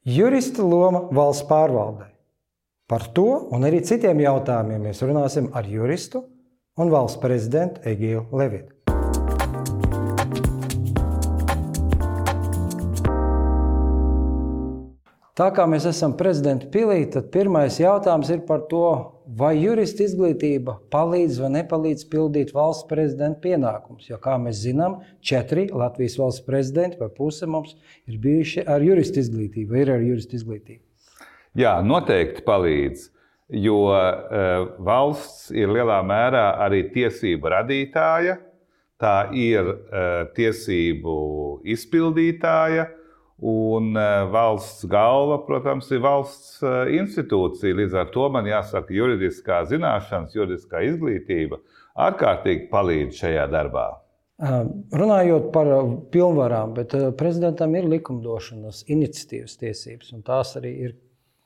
Jurista loma valsts pārvaldē. Par to un arī citiem jautājumiem mēs runāsim ar juristu un valsts prezidentu Egilu Levitu. Tā kā mēs esam prezidenta pilī, tad pirmais jautājums ir par to, vai jurista izglītība palīdz vai nepalīdz pildīt valsts prezidenta pienākumus. Jo, kā mēs zinām, 4 Latvijas valsts prezidenti vai puse mums ir bijuši ar jurista izglītību, vai ir ar jurista izglītību. Jā, noteikti palīdz, jo valsts ir lielā mērā arī tiesību radītāja, tā ir tiesību izpildītāja, un valsts galva, protams, ir valsts institūcija. Līdz ar to man jāsaka, juridiskā zināšanas, juridiskā izglītība ārkārtīgi palīdz šajā darbā. Runājot par pilnvarām, bet prezidentam ir likumdošanas iniciatīvas tiesības, un tās arī ir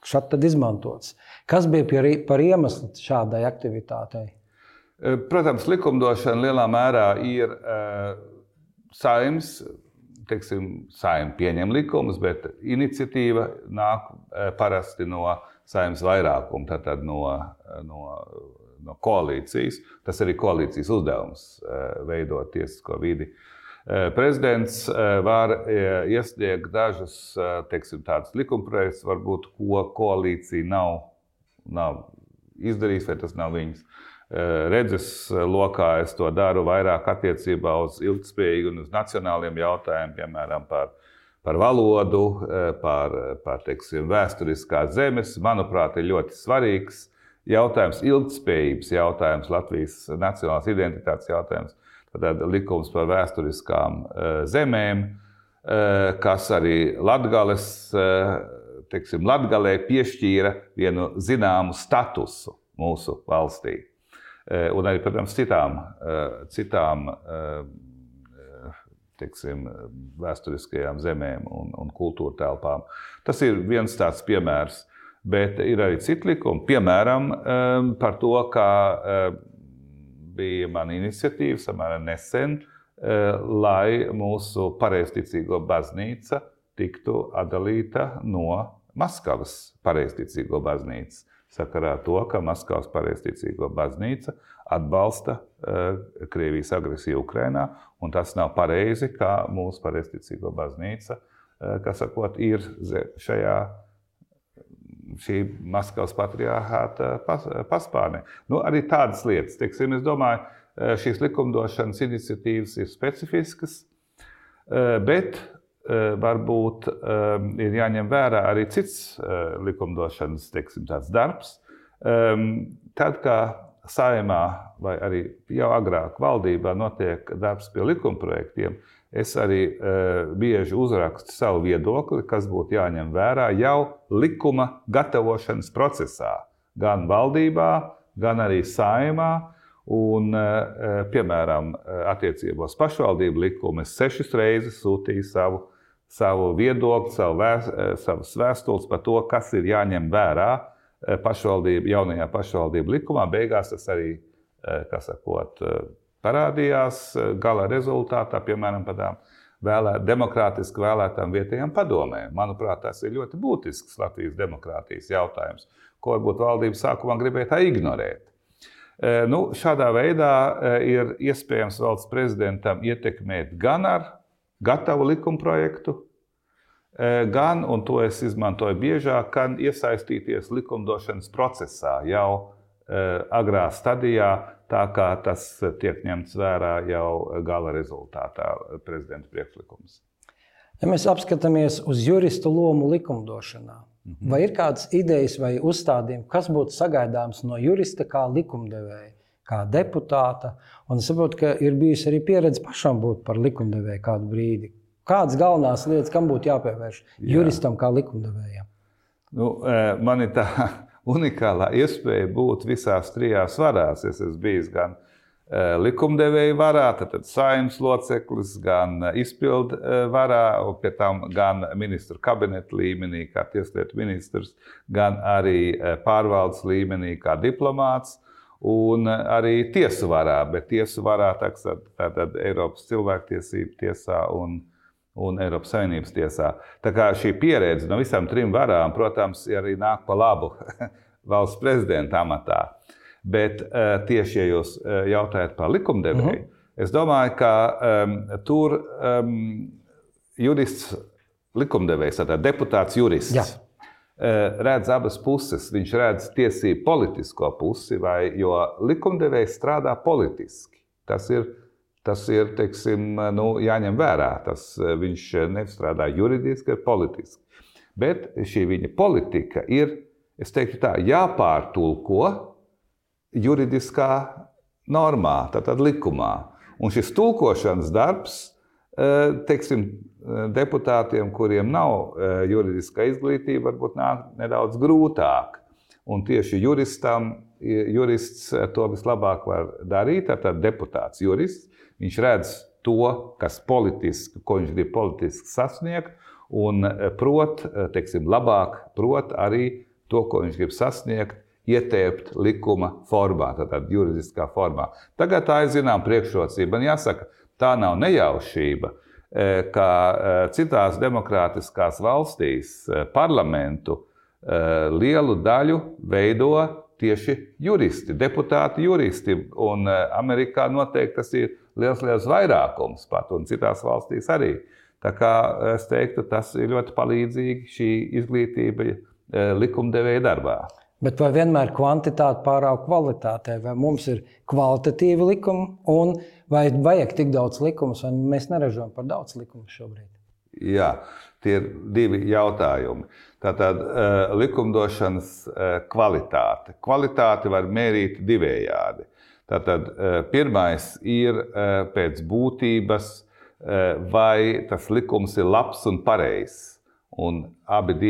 šad tad izmantotas. Kas bija par iemeslu šādai aktivitātei? Protams, likumdošana lielā mērā ir Saeimas, Saeima pieņem likumus, bet iniciatīva nāk parasti no Saeimas vairākuma, tātad no koalīcijas. Tas arī koalīcijas uzdevums veidot tiesisko vidi. Prezidents var iesniegt dažus, tādus likumprojektus, varbūt, ko koalīcija nav izdarījis, vai tas nav viņas redzes lokā. Es to daru vairāk attiecībā uz ilgtspējīgu un uz nacionāliem jautājumiem, piemēram, par valodu, par vēsturiskās zemes. Manuprāt, ir ļoti svarīgs jautājums, ilgtspējības jautājums, Latvijas nacionālās identitātes jautājums. Tad likums par vēsturiskām zemēm, kas arī Latgalē piešķīra vienu zināmu statusu mūsu valstī. Un arī, protams, citām vēsturiskajām zemēm un kultūra telpām. Tas ir viens tāds piemērs, bet ir arī citi likumi. Piemēram, par to, kā bija mana iniciatīva samērā nesen, lai mūsu pareizticīgo baznīca tiktu atdalīta no Maskavas pareizticīgo baznīcas. Sakarā to, ka Maskavas pareizticīgo baznīca atbalsta Krievijas agresiju Ukrainā, un tas nav pareizi, kā mūsu pareizticīgo baznīca, ir šī Maskavas patriarhāta paspārnē. Arī tādas lietas, es domāju, šīs likumdošanas iniciatīvas ir specifiskas, bet varbūt ir jāņem vērā arī cits likumdošanas, tāds darbs. Tad, kā Saeimā vai arī jau agrāk valdībā notiek darbs pie likumprojektiem, es arī bieži uzrakstu savu viedokli, kas būtu jāņem vērā jau likuma gatavošanas procesā. Gan valdībā, gan arī Saeimā. Un, piemēram, attiecībos pašvaldību likumu es 6 reizes sūtīju savu viedokli, savas vēstules par to, kas ir jāņem vērā jaunajā pašvaldību likumā. Beigās tas arī, parādījās gala rezultātā, piemēram, par tām demokrātiski vēlētām vietējām padomēm. Manuprāt, tas ir ļoti būtisks Latvijas demokrātijas jautājums, ko varbūt valdība sākumā gribēja tā ignorēt. Šādā veidā ir iespējams valsts prezidentam ietekmēt gan ar gatavu likumprojektu, gan, un to es izmantoju biežāk, gan iesaistīties likumdošanas procesā jau agrā stadijā, tā kā tas tiek ņemts vērā jau gala rezultātā prezidenta priekšlikums. Ja mēs apskatāmies uz juristu lomu likumdošanā, vai ir kādas idejas vai uzstādījumi, kas būtu sagaidāms no jurista kā likumdevēja, kā deputāta? Un es saprotu, ka ir bijusi arī pieredze pašam būt par likumdevēju kādu brīdi. Kādas galvenās lietas, kam būtu jāpievērš juristam kā likumdevējam? Man ir tā unikālā iespēja būt visās 3 varās. Es esmu bijis gan likumdevēju varā, tad Saeimas loceklis, gan izpildu varā, un pie tam gan ministru kabineta līmenī, kā tieslietu ministrs, gan arī pārvaldes līmenī, kā diplomāts, un arī tiesu varā, bet tiesu varā tātad Eiropas cilvēktiesību tiesā un un Eiropas Savienības tiesā. Tā kā šī pieredze no visām 3 varām, protams, arī nāk pa labu valsts prezidenta amatā. Bet tieši, ja jūs jautājat par likumdevēju, es domāju, ka tur jurists likumdevējs, tātad deputāts jurists, redz abas puses. Viņš redz tiesību politisko pusi, jo likumdevējs strādā politiski. Tas ir teiksim, jāņem vērā. Viņš nestrādā juridiski, bet politiski. Bet šī viņa politika ir, es teiktu tā, jāpārtulko juridiskā normā, tātad likumā. Un šis tulkošanas darbs, teiksim, deputātiem, kuriem nav juridiskā izglītība, varbūt nāk nedaudz grūtāk. Un tieši jurists to vislabāk var darīt, tātad deputāts jurists. Viņš redz to, ko viņš grib politiski sasniegt, un labāk prot arī to, ko viņš grib sasniegt, ietēpt likuma formā, tātad juridiskā formā. Tagad tā ir zinām priekšrocība. Man jāsaka, tā nav nejaušība, ka citās demokrātiskās valstīs parlamentu lielu daļu veido tieši juristi, deputāti juristi. Un Amerikā noteikti tas ir liels vairākums pat, un citās valstīs arī. Tā kā es teiktu, tas ir ļoti palīdzīgi šī izglītība likumdevēja darbā. Bet vai vienmēr kvantitāte pārāk kvalitātei? Vai mums ir kvalitatīvi likumi, un vai vajag tik daudz likumus, vai mēs neražojam par daudz likumus šobrīd? Jā, tie ir 2 jautājumi. Tātad likumdošanas kvalitāte. Kvalitāti var mērīt divējādi. Tātad pirmais ir pēc būtības, vai tas likums ir labs un pareizs. Un abas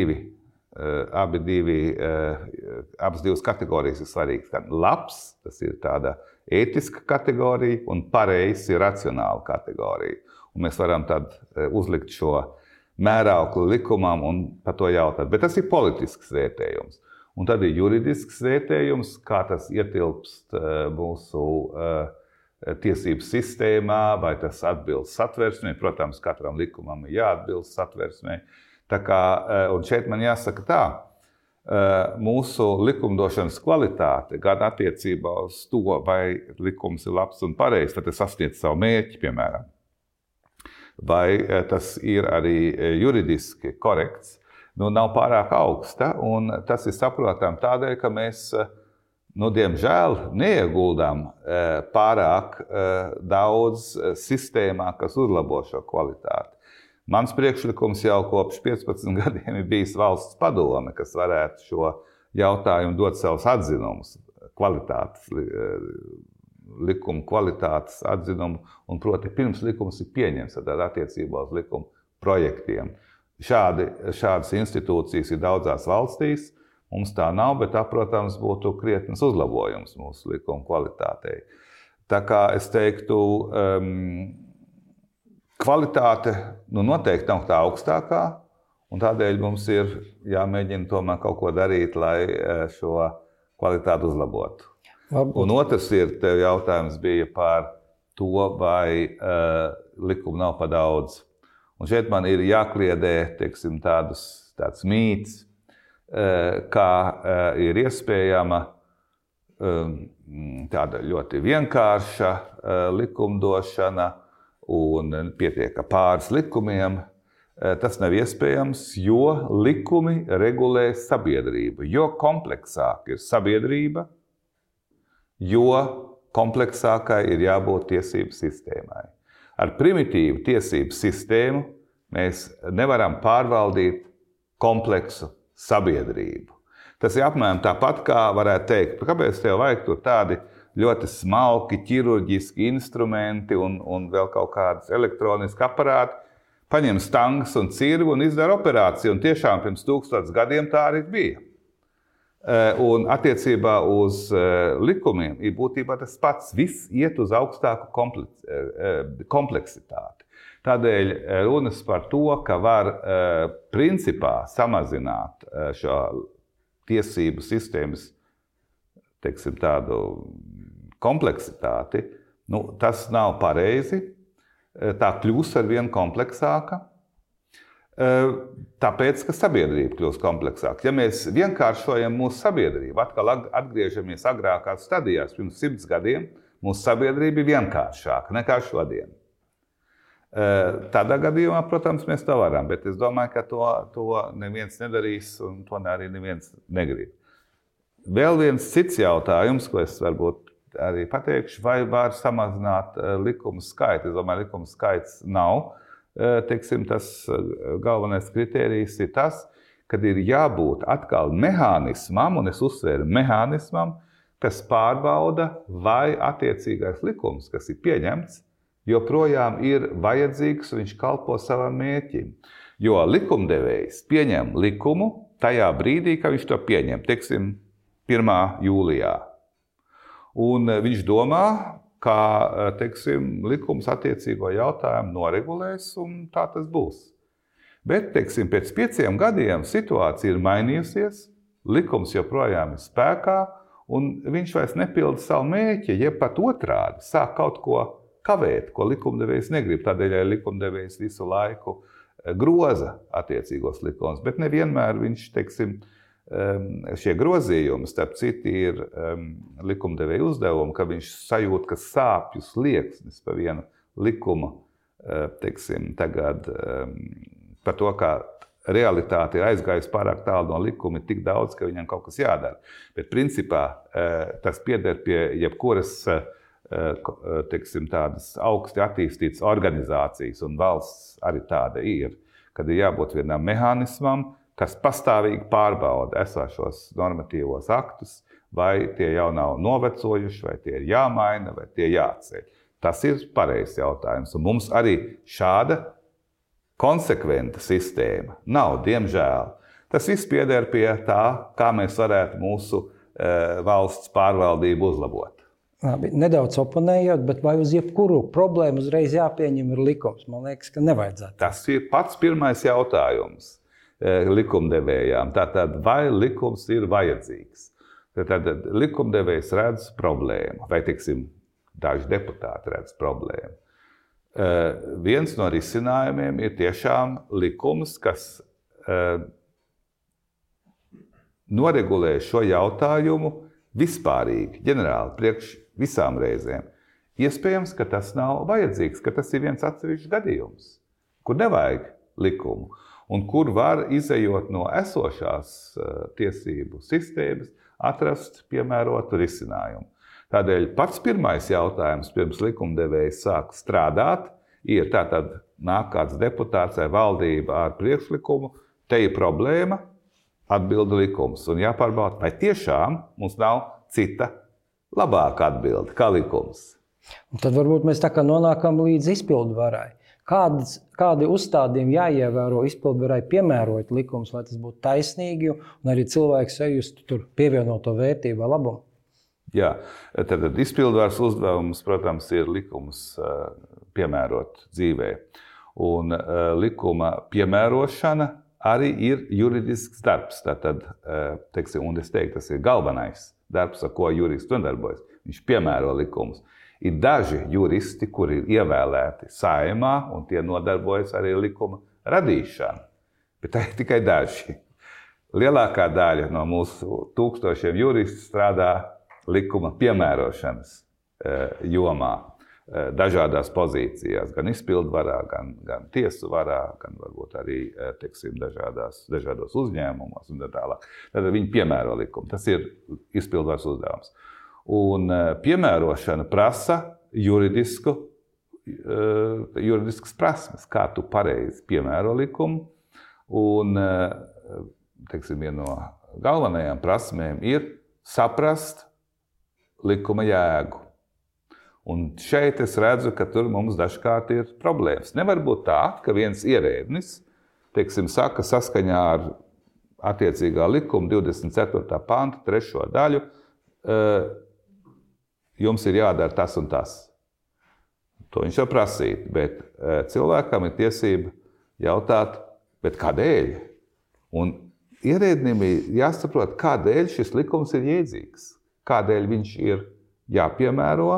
divas kategorijas ir svarīgas. Gan labs, tas ir tāda ētiska kategorija, un pareizs ir racionāla kategorija. Un mēs varam tad uzlikt šo mēraukli likumam un par to jautāt. Bet tas ir politisks vērtējums. Un tad ir juridisks vērtējums, kā tas ietilpst mūsu tiesību sistēmā, vai tas atbilst satversmei. Protams, katram likumam ir jāatbilst satversmei. Tā kā, un šeit man jāsaka tā, mūsu likumdošanas kvalitāte, gan attiecībā uz to, vai likums ir labs un pareizs, vai tas sasniedz savu mērķi, piemēram, vai tas ir arī juridiski korekts, nav pārāk augsta, un tas ir saprotam tādēļ, ka mēs, diemžēl, neieguldām pārāk daudz sistēmā, kas uzlabo šo kvalitāti. Mans priekšlikums jau kopš 15 gadiem ir bijis valsts padome, kas varētu šo jautājumu dot savus atzinumus, likuma kvalitātes atzinumu, un proti pirms likums ir pieņemts attiecībā uz likuma projektiem. Šādas institūcijas ir daudzās valstīs, mums tā nav, bet tā, protams, būtu krietnes uzlabojums mūsu likuma kvalitātei. Tā kā es teiktu, kvalitāte noteikti nav tā augstākā, un tādēļ mums ir jāmēģina tomēr kaut ko darīt, lai šo kvalitāti uzlabotu. Varbūt. Un otrs tev jautājums bija par to, vai likuma nav par daudz. Un šeit man ir jākliedē, teiksim, tāds mīts, kā ir iespējama tāda ļoti vienkārša likumdošana, un pietiek pāris likumiem. Tas nav iespējams, jo likumi regulē sabiedrību. Jo kompleksāka ir sabiedrība, jo kompleksākai ir jābūt tiesību sistēmai. Ar primitīvu tiesību sistēmu mēs nevaram pārvaldīt kompleksu sabiedrību. Tas ir apmēram tāpat, kā varētu teikt, kāpēc tev vajag tur tādi ļoti smalki ķirurģiski instrumenti un vēl kaut kādas elektroniski aparāti, paņem stangas un cirvi un izdara operāciju. Un tiešām pirms 1000 gadiem tā arī bija. Un attiecībā uz likumiem ir būtībā tas pats. Viss iet uz augstāku kompleksitāti. Tādēļ runas par to, ka var principā samazināt šo tiesību sistēmas, teiksim, tādu kompleksitāti, tas nav pareizi. Tā kļūs ar vien kompleksāka, Tāpēc, ka sabiedrība kļūst kompleksāka. Ja mēs vienkāršojam mūsu sabiedrību, atkal atgriežamies agrākās stadijās, pirms 100 gadiem, mūsu sabiedrība ir vienkāršāka nekā šodien. Tādā gadījumā, protams, mēs to varam, bet es domāju, ka to neviens nedarīs un to arī neviens negrib. Vēl viens cits jautājums, ko es varbūt arī pateikšu, vai var samazināt likumu skaitu. Es domāju, likumu skaits nav. Tas galvenais kritērijs ir tas, kad ir jābūt atkal mehānismam, un es uzsveru mehānismam, kas pārbauda, vai attiecīgais likums, kas ir pieņemts, joprojām ir vajadzīgs un viņš kalpo savam mērķim. Jo likumdevējs pieņem likumu tajā brīdī, kad viņš to pieņem, 1. jūlijā. Un viņš domā, kā likums attiecīgo jautājumu noregulēs, un tā tas būs. Bet pēc 5 gadiem situācija ir mainījusies, likums joprojām ir spēkā, un viņš vairs nepilda savu mērķi, jeb pat otrādi sāk kaut ko kavēt, ko likumdevējs negrib. Tādēļ likumdevējs visu laiku groza attiecīgos likumus, bet nevienmēr viņš, šie grozījumi, starp citu, ir likumdevēja uzdevumi, ka viņš sajūt, ka sāpju slieksnis pa vienu likumu, tagad par to, ka realitāte ir aizgājusi pārāk tālu no likuma, ir tik daudz, ka viņam kaut kas jādara. Bet principā tas pieder pie jebkuras, tādas augsti attīstītas organizācijas, un valsts arī tāda ir, kad ir jābūt vienam mehānismam, kas pastāvīgi pārbauda esošos normatīvos aktus, vai tie jau nav novecojuši, vai tie ir jāmaina, vai tie jāceļ. Tas ir pareizs jautājums, un mums arī šāda konsekventa sistēma nav, diemžēl. Tas viss pieder pie tā, kā mēs varētu mūsu valsts pārvaldību uzlabot. Labi, nedaudz oponējot, bet vai uz jebkuru problēmu uzreiz jāpieņem ir likums? Man liekas, ka nevajadzētu. Tas ir pats pirmais jautājums likumdevējām. Tātad, vai likums ir vajadzīgs? Tad likumdevējs redz problēmu, vai, daži deputāti redz problēmu. Viens no risinājumiem ir tiešām likums, kas noregulē šo jautājumu vispārīgi, ģenerāli, priekš visām reizēm. Iespējams, ka tas nav vajadzīgs, ka tas ir viens atsevišķs gadījums, kur nevajag likumu. Un kur var, izejot no esošās tiesību sistēmas, atrast piemērotu risinājumu. Tādēļ pats pirmais jautājums, pirms likumdevējs sāk strādāt, ir tātad nāk kāds deputāts vai valdība ar priekšlikumu, te ir problēma, atbilda likums. Un jāpārbauda, vai tiešām mums nav cita labāka atbilde kā likums. Un tad varbūt mēs tā kā nonākam līdz izpildvarai. Kādi uzstādījumi jāievēro izpildvarai piemērot likums, lai tas būtu taisnīgi un arī cilvēks sajustu tur pievienoto vērtību vai labumu? Jā, tad izpildvaras uzdevums, protams, ir likumus piemērot dzīvē. Un likuma piemērošana arī ir juridisks darbs. Tātad, un es teiktu, tas ir galvenais darbs, ar ko jurists nodarbojas. Viņš piemēro likumus. Ir daži juristi, kuri ir ievēlēti Saeimā, un tie nodarbojas arī likuma radīšanu. Bet tā ir tikai daži. Lielākā daļa no mūsu tūkstošiem juristu strādā likuma piemērošanas jomā, dažādās pozīcijās, gan izpildvarā, gan tiesu varā, gan varbūt arī dažādos uzņēmumos un tā tālāk. Tad viņi piemēro likumu. Tas ir izpildvaras uzdevums. Un piemērošana prasa juridiskas prasmes, kā tu pareizi piemēro likumu. Un, viena no galvenajām prasmēm ir saprast likuma jēgu. Un šeit es redzu, ka tur mums dažkārt ir problēmas. Nevar būt tā, ka viens ierēdnis, saka saskaņā ar attiecīgā likuma 24. panta 3. daļu, jums ir jādara tas un tas. To viņš var prasīt, bet cilvēkam ir tiesība jautāt, bet kādēļ? Un ierēdnim ir jāsaprot, kādēļ šis likums ir jēdzīgs, kādēļ viņš ir jāpiemēro,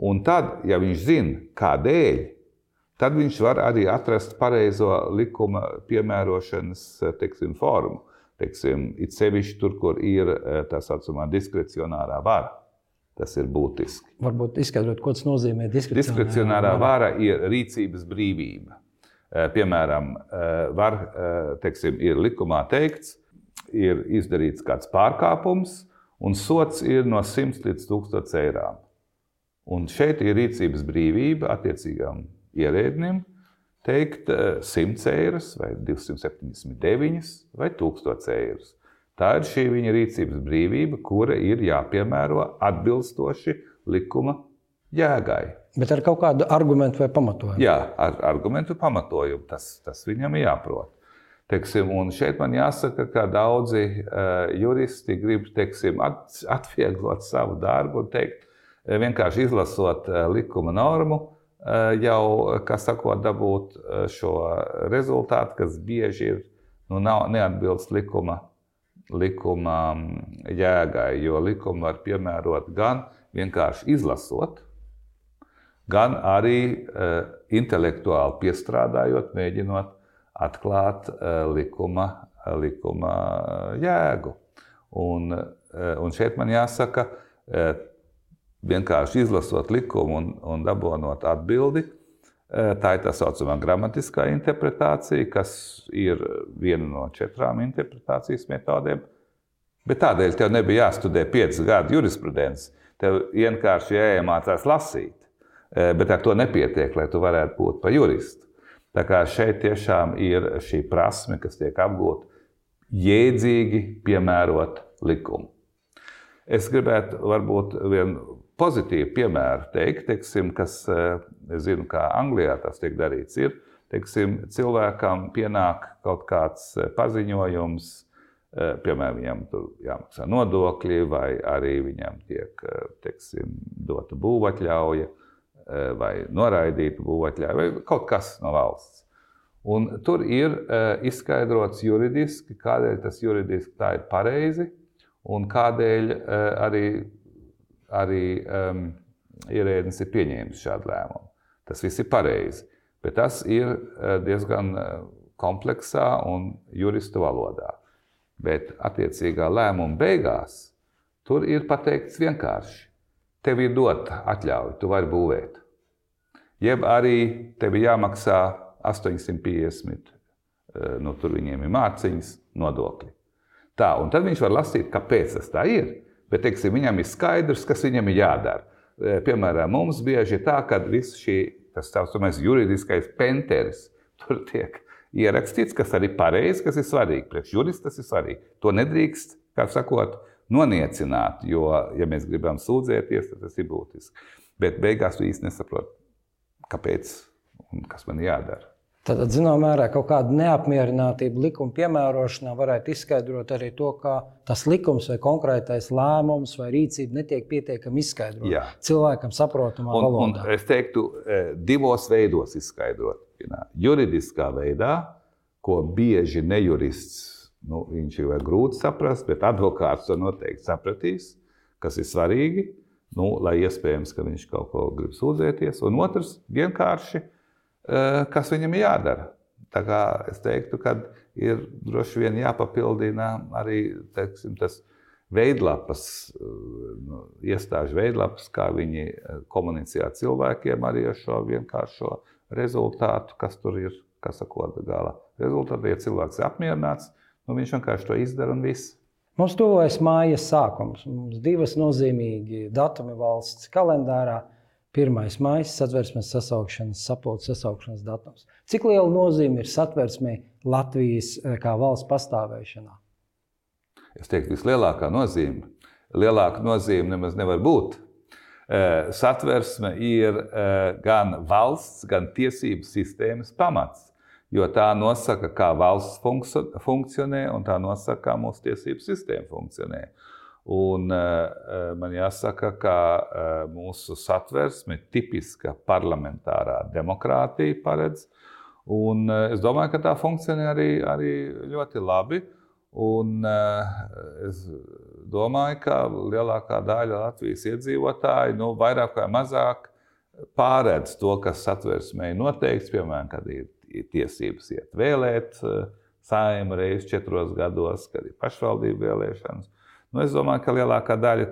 un tad, ja viņš zina, kādēļ, tad viņš var arī atrast pareizo likuma piemērošanas, teiksim, formu. Teiksim, it sevišķi tur, kur ir tā saucamā diskrecionārā vara. Tas ir būtiski. Varbūt izskaidrot, ko tas nozīmē diskrecionārā vara ir rīcības brīvība. Piemēram, teiksim, ir likumā teikts, ir izdarīts kāds pārkāpums, un sots ir no 100 līdz 1000 eirām. Un šeit ir rīcības brīvība attiecīgām ierēdnim teikt 100 eiras, vai 279 vai 1000 eiras. Tā ir šī viņa rīcības brīvība, kura ir jāpiemēro atbilstoši likuma jēgai. Bet ar kaut kādu argumentu vai pamatojumu? Jā, ar argumentu pamatojumu. Tas viņam ir jāprot. Teiksim, un šeit man jāsaka, ka daudzi juristi grib, teiksim, atvieglot savu darbu un teikt, vienkārši izlasot likuma normu, jau, kā sakot, dabūt šo rezultātu, kas bieži ir, neatbilst likuma jēgai, jo likumu var piemērot gan vienkārši izlasot, gan arī intelektuāli piestrādājot, mēģinot atklāt likuma jēgu. Un šeit man jāsaka, vienkārši izlasot likumu un dabonot atbildi, tā ir tā saucamā gramatiskā interpretācija, kas ir viena no 4 interpretācijas metodēm. Bet tādēļ tev nebija jāstudē 5 gadu jurisprudences. Tev vienkārši jāiemācās lasīt. Bet ar to nepietiek, lai tu varētu būt par juristu. Tā kā šeit tiešām ir šī prasme, kas tiek apgūta jēdzīgi piemērot likumu. Es gribētu varbūt vienu pozitīvu piemēru teikt, teiksim, kas, es zinu, kā Anglijā tas tiek darīts, ir, teiksim, cilvēkam pienāk kaut kāds paziņojums, piemēram, viņam tur jāmaksā nodokļi, vai arī viņam tiek, teiksim, dota būvatļauja, vai noraidīta būvatļauja, vai kaut kas no valsts. Un tur ir izskaidrots juridiski, kādēļ tas juridiski tā ir pareizi, un kādēļ arī ierēdnis ir pieņēmis šādu lēmumu. Tas viss ir pareizi, bet tas ir diezgan kompleksā un juristu valodā. Bet attiecīgā lēmuma beigās tur ir pateikts vienkārši. Tev ir dota atļauja, tu vari būvēt. Jeb arī tev ir jāmaksā 850, tur viņiem ir mārciņas, nodokļi. Tā, un tad viņš var lasīt, kāpēc tas tā ir, bet, teiksim, viņam ir skaidrs, kas viņam ir jādara. Piemēram, mums bieži ir tā, ka viss tas saucamais juridiskais penteris tur tiek ierakstīts, kas arī pareizi, kas ir svarīgi. Priekš jurista tas ir svarīgi. To nedrīkst, kā sakot, noniecināt, jo, ja mēs gribam sūdzēties, tad tas ir būtiski. Bet beigās tu īsti nesaproti, kāpēc un kas man jādara. Tad, zinām mērā, kaut kāda neapmierinātība likuma piemērošanā varētu izskaidrot arī to, ka tas likums vai konkrētais lēmums vai rīcība netiek pietiekami izskaidrot. Jā. Cilvēkam saprotamā valodā. Un es teiktu, 2 veidos izskaidrot. Juridiskā veidā, ko bieži nejurists, viņš ir grūti saprast, bet advokāts to noteikti sapratīs, kas ir svarīgi, lai iespējams, ka viņš kaut ko grib sūdzēties. Un otrs, vienkārši, kas viņam ir jādara. Tā kā es teiktu, ka ir droši vien jāpapildina arī, teiksim, tas veidlapas, iestāžu veidlapas, kā viņi komunicē ar cilvēkiem arī ar šo vienkāršo rezultātu, kas tur ir, kas sakot, gala rezultātu. Ja cilvēks ir apmierināts, viņš vienkārši to izdara un viss. Mums tuvojas mājas sākums. Mums 2 nozīmīgi datumi valsts kalendārā. 1. maijs, Satversmes sasaukšanas, sapulces sasaukšanas datums. Cik liela nozīme ir Satversmei Latvijas kā valsts pastāvēšanā? Es teiktu, vislielākā nozīme. Lielāka nozīme nemaz nevar būt. Satversme ir gan valsts, gan tiesību sistēmas pamats, jo tā nosaka, kā valsts funkcionē, un tā nosaka, kā mūsu tiesību sistēma funkcionē. Un man jāsaka, ka mūsu Satversme ir tipiska parlamentārā demokrātija paredz, un es domāju, ka tā funkcionē arī ļoti labi. Un es domāju, ka lielākā daļa Latvijas iedzīvotāji vairāk vai mazāk pārēdz to, kas Satversmē noteikts, piemēram, kad ir tiesības iet vēlēt Saeimu reizi 4 gados, kad ir pašvaldību vēlēšanas. Es domāju, ka lielākā daļa,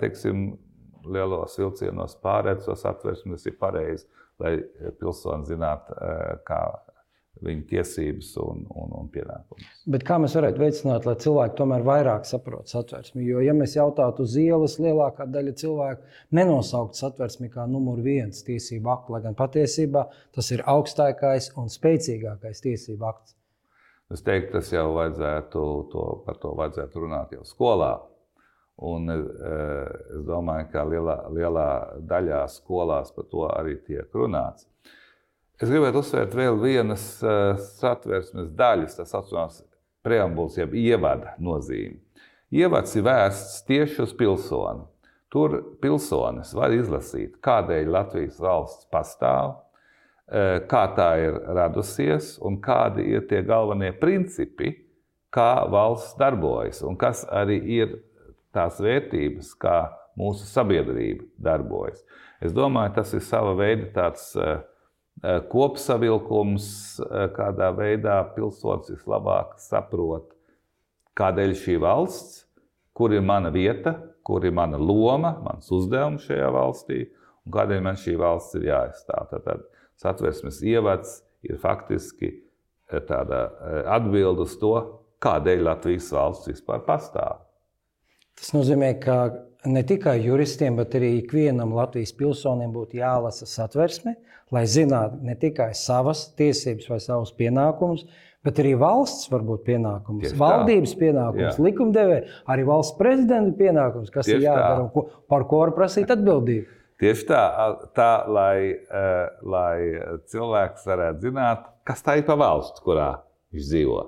lielos vilcienos pārēdz to Satversmi, tas ir pareizi, lai pilsoni zinātu, kā viņu tiesības un pienākumus. Bet kā mēs varētu veicināt, lai cilvēki tomēr vairāk saprot Satversmi? Jo, ja mēs jautātu uz ielas, lielākā daļa cilvēku nenosaukt Satversmi kā numur 1 tiesību aktu, lai gan patiesībā tas ir augstākais un spēcīgākais tiesību akts. Es teiktu, tas jau par to vajadzētu runāt jau skolā. Un es domāju, ka lielā daļā skolās par to arī tiek runāts. Es gribētu uzsvērt vēl vienas Satversmes daļas, tas saucamās preambulas, jeb ievada nozīme. Ievads ir vērsts tieši uz pilsoni. Tur pilsonis var izlasīt, kādēļ Latvijas valsts pastāv, kā tā ir radusies un kādi ir tie galvenie principi, kā valsts darbojas un kas arī ir tās vērtības, kā mūsu sabiedrība darbojas. Es domāju, tas ir sava veida tāds kopsavilkums, kādā veidā pilsonis vislabāk saprot, kādēļ šī valsts, kur ir mana vieta, kur ir mana loma, mans uzdevums šajā valstī un kādēļ man šī valsts ir jāaizstāv. Tātad Satversmes ievads ir faktiski tāda atbilde uz to, kādēļ Latvijas valsts vispār pastāv. Tas nozīmē, ka ne tikai juristiem, bet arī ikvienam Latvijas pilsonim būtu jālasa Satversme, lai zinātu ne tikai savas tiesības vai savus pienākumus, bet arī valsts varbūt pienākums, valdības pienākums, likumdevēja, arī valsts prezidenta pienākums, kas ir jādara un par ko var prasīt atbildību. Tieši tā lai cilvēks varētu zināt, kas tā ir pa valsts, kurā viņš dzīvo.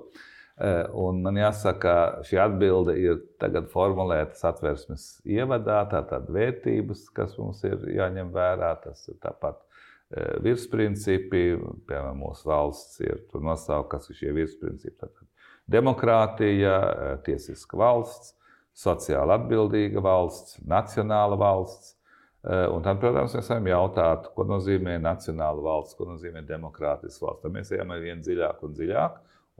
Un man jāsaka, šī atbilde ir tagad formulēta Satversmes ievadā, tātad vērtības, kas mums ir jāņem vērā, tas ir tāpat virsprincipi, piemēram, mūsu valsts ir tur nosaukt, kas ir šie virsprincipi. Tātad demokrātija, tiesiska valsts, sociāli atbildīga valsts, nacionāla valsts. Un tad, protams, mēs varam jautāt, ko nozīmē nacionāla valsts, ko nozīmē demokrātiska valsts. Tad mēs ejam vien dziļāk un dziļāk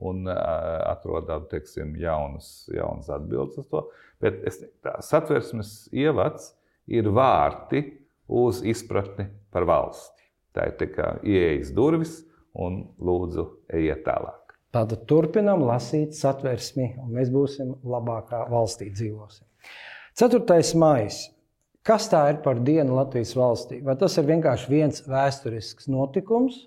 un atrodam, jaunas atbildes uz to. Bet Satversmes ievads ir vārti uz izpratni par valsti. Tā ir tikai ieejas durvis un lūdzu ejiet tālāk. Tātad turpinam lasīt Satversmi un mēs būsim labākā valstī dzīvosim. 4. maijs. Kas tā ir par dienu Latvijas valstī? Vai tas ir vienkārši viens vēsturisks notikums,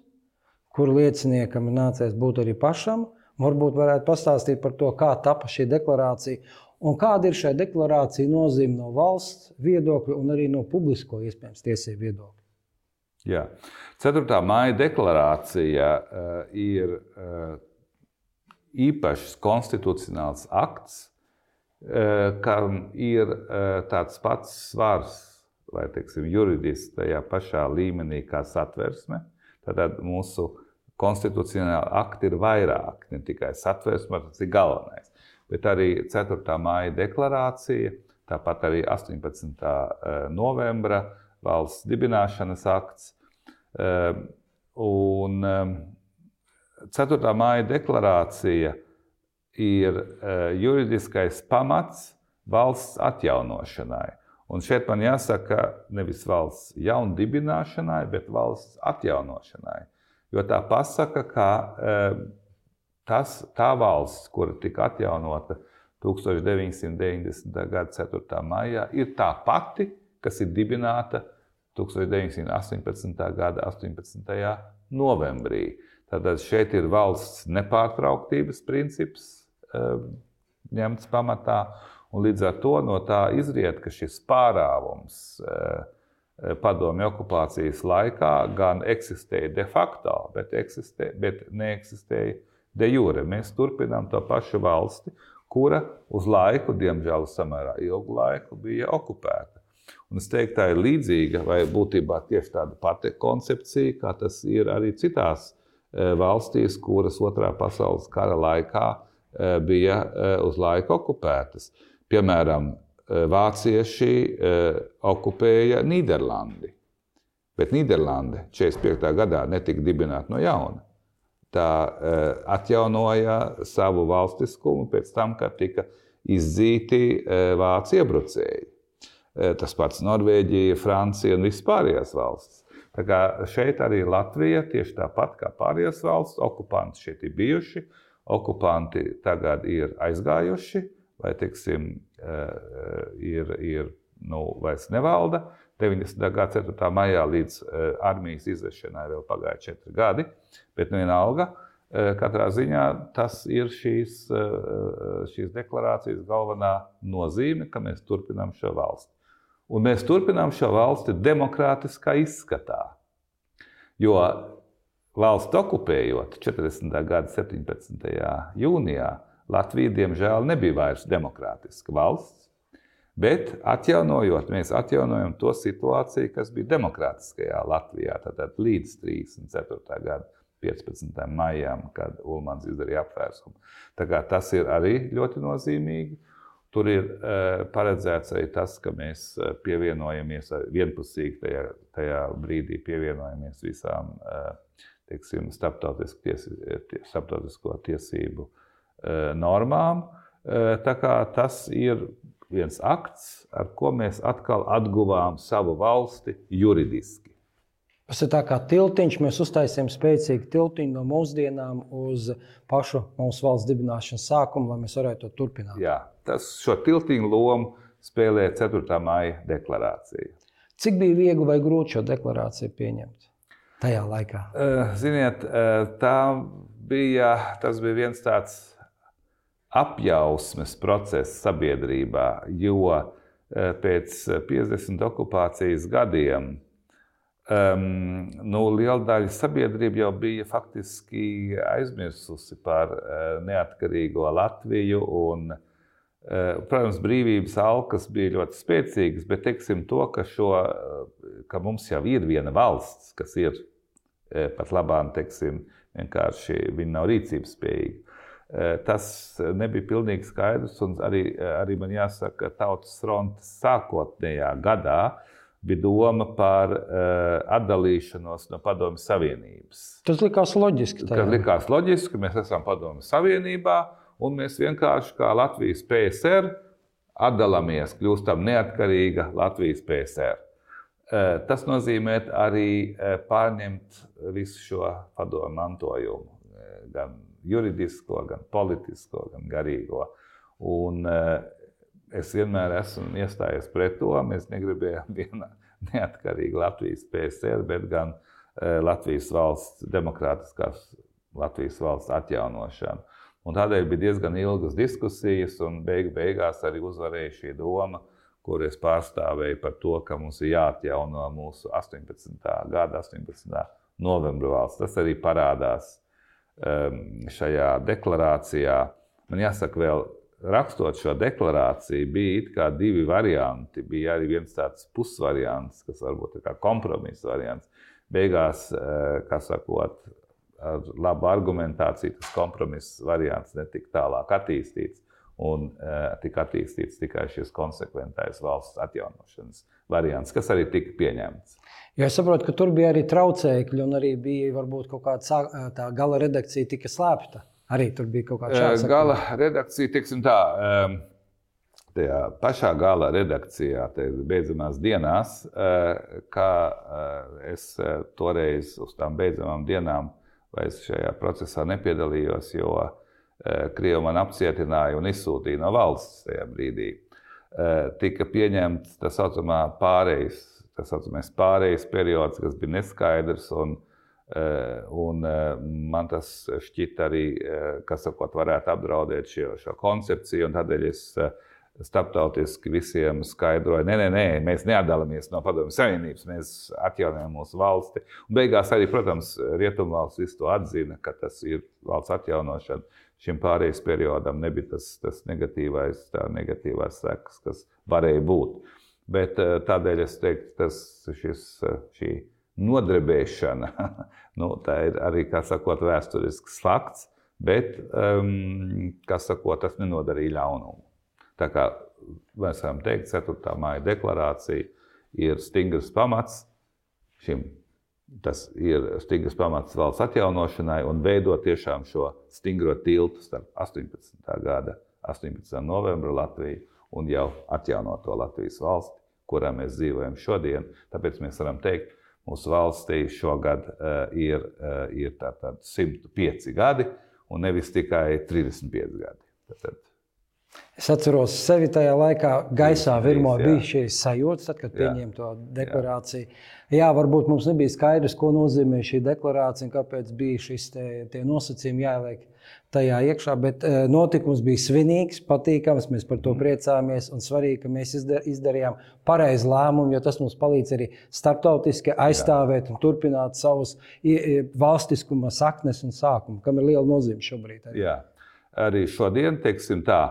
kur lieciniekam nācies būt arī pašam? Varbūt varētu pastāstīt par to, kā tapa šī deklarācija un kāda ir šai deklarācija nozīme no valsts viedokļa un arī no publisko iespējams tiesību viedokļa. Jā. 4. maija deklarācija ir īpašs konstitucionāls akts, kam ir tāds pats svars, vai juridiski tajā pašā līmenī kā Satversme. Tātad mūsu konstitucionāli akti ir vairāk, ne tikai Satversme, tas ir galvenais. Bet arī 4. maija deklarācija, tāpat arī 18. novembra valsts dibināšanas akts. Un 4. maija deklarācija ir juridiskais pamats valsts atjaunošanai. Un šeit man jāsaka nevis valsts jaundibināšanai, bet valsts atjaunošanai. Jo tā pasaka, ka tā valsts, kura tika atjaunota 1990. gada 4. maijā, ir tā pati, kas ir dibināta 1918. gada 18. novembrī. Tātad šeit ir valsts nepārtrauktības princips ņemts pamatā, un līdz ar to no tā izriet, ka šis pārāvums padomju okupācijas laikā gan eksistēja de facto, bet neeksistēja de jure. Mēs turpinām to pašu valsti, kura uz laiku, diemžēl samērā ilgu laiku, bija okupēta. Un es teiktu, tā ir līdzīga vai būtībā tieši tāda pati koncepcija, kā tas ir arī citās valstīs, kuras Otrā pasaules kara laikā bija uz laiku okupētas. Piemēram, vācieši okupēja Nīderlandi. Bet Nīderlande 45. gadā netika dibināta no jauna. Tā atjaunoja savu valstiskumu pēc tam, kad tika izdzīti vācu iebrucēji. Tas pats Norvēģija, Francija un visas pārējās valstis. Tā kā šeit arī Latvija, tieši tāpat kā pārējās valsts, okupanti šeit ir bijuši, okupanti tagad ir aizgājuši, vai, teiksim, vairs nevalda. 90. gada 4. maijā līdz armijas izvešanai vēl pagāja 4 gadi, bet vienalga, katrā ziņā tas ir šīs deklarācijas galvenā nozīme, ka mēs turpinām šo valsti. Un mēs turpinām šo valsti demokrātiskā izskatā, jo valsts okupējot 40. gada 17. jūnijā, Latvija, diemžēl, nebija vairs demokrātiska valsts, bet mēs atjaunojam to situāciju, kas bija demokrātiskajā Latvijā, tātad līdz 34. gada 15. maijām, kad Ulmans izdarīja apvērsumu. Tā kā tas ir arī ļoti nozīmīgi. Tur ir paredzēts arī tas, ka mēs pievienojamies vienpusīgi tajā brīdī pievienojamies visām, teiksim, starptautisko tiesību normām. Tā kā tas ir viens akts, ar ko mēs atkal atguvām savu valsti juridiski. Tas ir tā kā tiltiņš, mēs uztaisījām spēcīgu tiltiņu no mūsdienām uz pašu mūsu valsts dibināšanas sākumu, lai mēs varētu to turpināt. Jā, šo tiltiņu lomu spēlē 4. maija deklarācija. Cik bija viegli vai grūti šo deklarāciju pieņemt tajā laikā? Ziniet, tas bija viens tāds apjausmes process sabiedrībā, jo pēc 50 okupācijas gadiem liela daļa sabiedrība jau bija faktiski aizmirsusi par neatkarīgo Latviju un, protams, brīvības alkas bija ļoti spēcīgas, bet teiksim to, ka mums jau ir viena valsts, kas ir pat labāk, teiksim, vienkārši viņa nav rīcības spējīga. Tas nebija pilnīgi skaidrs, un arī man jāsaka, Tautas frontes sākotnējā gadā bija doma par atdalīšanos no Padomju Savienības. Tas likās loģiski. Tas likās loģiski, mēs esam Padomju Savienībā, un mēs vienkārši kā Latvijas PSR atdalāmies, kļūstam neatkarīga Latvijas PSR. Tas nozīmē arī pārņemt visu šo padomju mantojumu, gan juridisko, gan politisko, gan garīgo. Un es vienmēr esmu iestājies pret to. Mēs negribējām viena neatkarīga Latvijas PSR, bet gan Latvijas valsts, demokrātiskās Latvijas valsts atjaunošanu. Un tādēļ bija diezgan ilgas diskusijas, un beigās arī uzvarēja šī doma, kur es pārstāvēju par to, ka mums ir jāatjauno mūsu 18. gada 18. novembra valsts. Tas arī parādās šajā deklarācijā. Man jāsaka vēl, rakstot šo deklarāciju, bija it kā 2 varianti. Bija arī viens tāds pusvariants, kas varbūt ir kā kompromisa variants. Beigās, kā sakot, ar labu argumentāciju tas kompromiss variants netika tālāk attīstīts. Un tika attīstīts tikai šis konsekventais valsts atjaunošanas variants, kas arī tika pieņemts. Jo es saprotu, ka tur bija arī traucēkļi, un arī bija varbūt kaut kāda tā gala redakcija tika slēpta. Arī tur bija kaut kāda šāda. Gala redakcija, teiksim tā, tajā pašā gala redakcijā, beidzamās dienās, kā es toreiz uz tām beidzamām dienām vairs šajā procesā nepiedalījos, jo Krievi man apcietināja un izsūtīja no valsts tajā brīdī. Tika pieņemts tā saucamais pārejas periods, kas bija neskaidrs, un man tas šķita arī, kas varētu apdraudēt šo koncepciju, un tādēļ es starptautiski visiem skaidroju, nē, mēs neatdalāmies no Padomju Savienības, mēs atjaunojam mūsu valsti. Un beigās arī, protams, Rietumvalsts visu to atzina, ka tas ir valsts atjaunošana. Šim pārejas periodam nebija tas negatīvās sekas, kas varēja būt. Bet tādēļ es teiktu, šī nodrebēšana, tā ir arī, kā sakot, vēsturisks fakts, bet, kā sakot, tas nenodarīja ļaunumu. Tā kā mēs varam teikt, 4. maija deklarācija ir stingrs pamats šim. Tas ir stingrs pamats valsts atjaunošanai un veidot tiešām šo stingro tiltu starp 18. gada 18. novembra Latviju un jau atjaunoto Latvijas valsti, kurā mēs dzīvojam šodien. Tāpēc mēs varam teikt, mūsu valstī šogad ir tātad 105 gadi un nevis tikai 35 gadi. Tātad, es atceros sevi tajā laikā, gaisā virmo bija šīs sajūtas, tad, kad pieņēma to deklarāciju. Jā, varbūt mums nebija skaidrs, ko nozīmē šī deklarācija un kāpēc bija šis tie nosacījumi jāieliek tajā iekšā, bet notikums bija svinīgs, patīkams, mēs par to priecāmies un svarīgi, ka mēs izdarījām pareizu lēmumu, jo tas mums palīdz arī starptautiski aizstāvēt un turpināt savus valstiskuma saknes un sākumu, kam ir liela nozīme šobrīd. Jā, arī šodien, teiksim tā,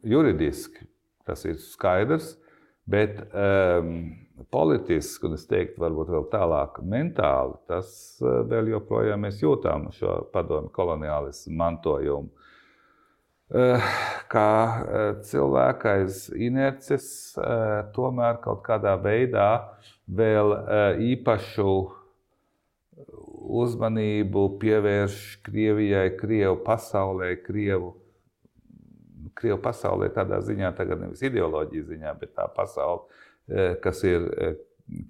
juridiski tas ir skaidrs, bet politiski, un es teiktu, varbūt vēl tālāk mentāli, tas vēl joprojām mēs jūtām šo padomju koloniālismu mantojumu. Kā cilvēka aiz inerces tomēr kaut kādā veidā vēl īpašu uzmanību pievērš Krievijai, Krievu pasaulē, Krievu pasaulē tādā ziņā, tagad nevis ideoloģijas ziņā, bet tā pasaule, kas ir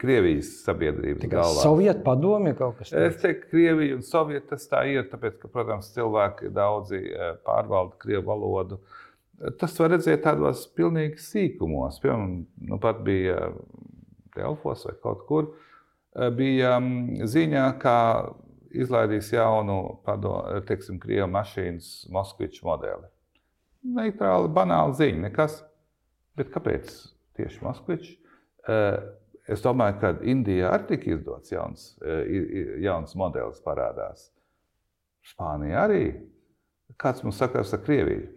Krievijas sabiedrības galvā. Sovietu padomju kaut kas tāds? Es teiktu, Krievija un Sovieta tas tā ir, tāpēc, ka, protams, cilvēki daudzi pārvalda Krievu valodu. Tas var redzēt tādos pilnīgi sīkumos. Piemēram, pat bija Delfos vai kaut kur, bija ziņā, kā izlaidīs jaunu, Krievu mašīnas Moskviču modeli. Neitrāli, banāli ziņa, nekas. Bet kāpēc tieši Moskvičs? Es domāju, ka Indijā arī tika izdots jauns modelis parādās. Spānija arī. Kāds mums sakars ar Krieviju?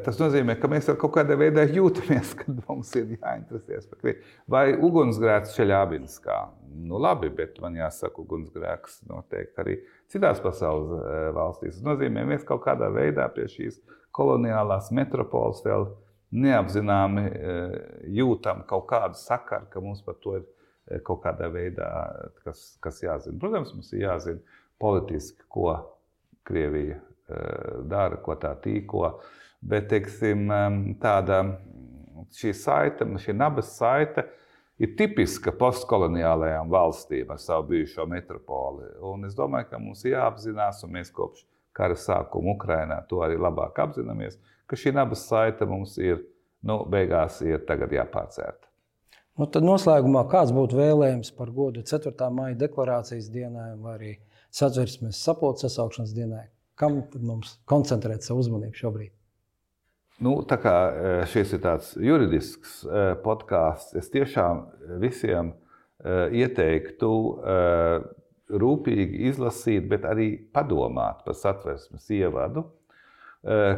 Tas nozīmē, ka mēs ar kaut kādā veidā jūtamies, kad mums ir jāinteresēs par Krieviju. Vai ugunsgrēks Čeļabinskā? Nu labi, bet man jāsaka, ugunsgrēks noteikti arī citās pasaules valstīs. Tas nozīmē, mēs kaut kādā veidā pie šīs koloniālās metropoles vēl neapzināmi jūtam kaut kādu sakaru, ka mums par to ir kaut kādā veidā, kas jāzina. Protams, mums ir jāzina politiski, ko Krievija dara, ko tā tīko, bet, teiksim, šī nabas saite ir tipiska postkoloniālajām valstīm ar savu bijušo metropoli. Un es domāju, ka mums jāapzinās, un mēs kopš kara sākuma Ukrainā to arī labāk apzināmies, ka šī nabas saite mums ir, beigās ir tagad jāpārcērta. Tad noslēgumā kāds būtu vēlējums par godu 4. maija deklarācijas dienai vai arī Satversmes sapulces sasaukšanas dienai? Kam tad mums koncentrēt savu uzmanību šobrīd? Tā kā šis ir tāds juridisks podkāsts, es tiešām visiem ieteiktu rūpīgi izlasīt, bet arī padomāt par Satversmes ievadu,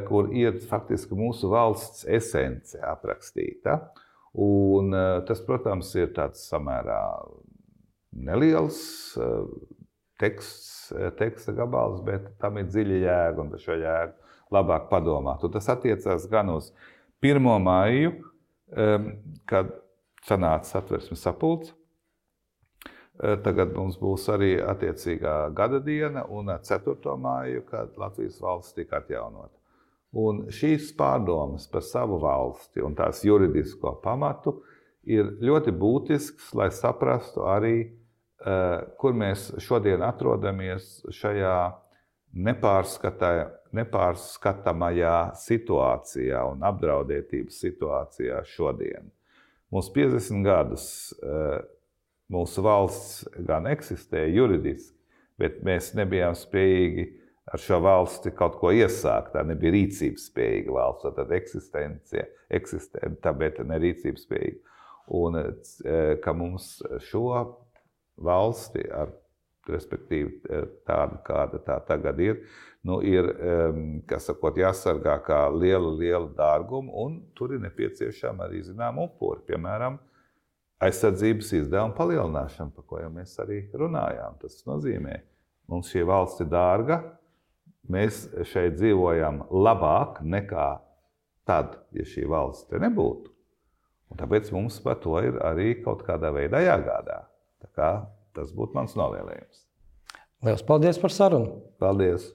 kur ir faktiski mūsu valsts esence aprakstīta. Un tas, protams, ir tāds samērā neliels teksta gabals, bet tam ir dziļa jēga un par šo jēgu labāk padomāt. Un tas attiecās gan uz 1. maiju, kad sanāca Satversmes sapulce. Tagad mums būs arī attiecīgā gada diena un 4. māju, kad Latvijas valsts tika atjaunota. Un šīs pārdomas par savu valsti un tās juridisko pamatu ir ļoti būtisks, lai saprastu arī, kur mēs šodien atrodamies šajā nepārskatāmajā situācijā un apdraudētības situācijā šodien. Mums 50 gadus mūsu valsts gan eksistēja juridiski, bet mēs nebijām spējīgi ar šo valsti kaut ko iesākt. Tā nebija rīcības spējīga valsts, tad eksistenta, bet ne rīcības spējīga. Un ka mums šo valsti, respektīvi tādu, kāda tā tagad ir, ir, jāsargā kā liela dārguma, un tur ir nepieciešama arī zinām upuri, piemēram, aizsardzības izdevuma palielināšana, par ko jau mēs arī runājām. Tas nozīmē, mums šī valsts ir dārga, mēs šeit dzīvojam labāk nekā tad, ja šī valsts te nebūtu. Un tāpēc mums par to ir arī kaut kādā veidā jāgādā. Tā kā tas būtu mans novēlējums. Lielas paldies par sarunu! Paldies!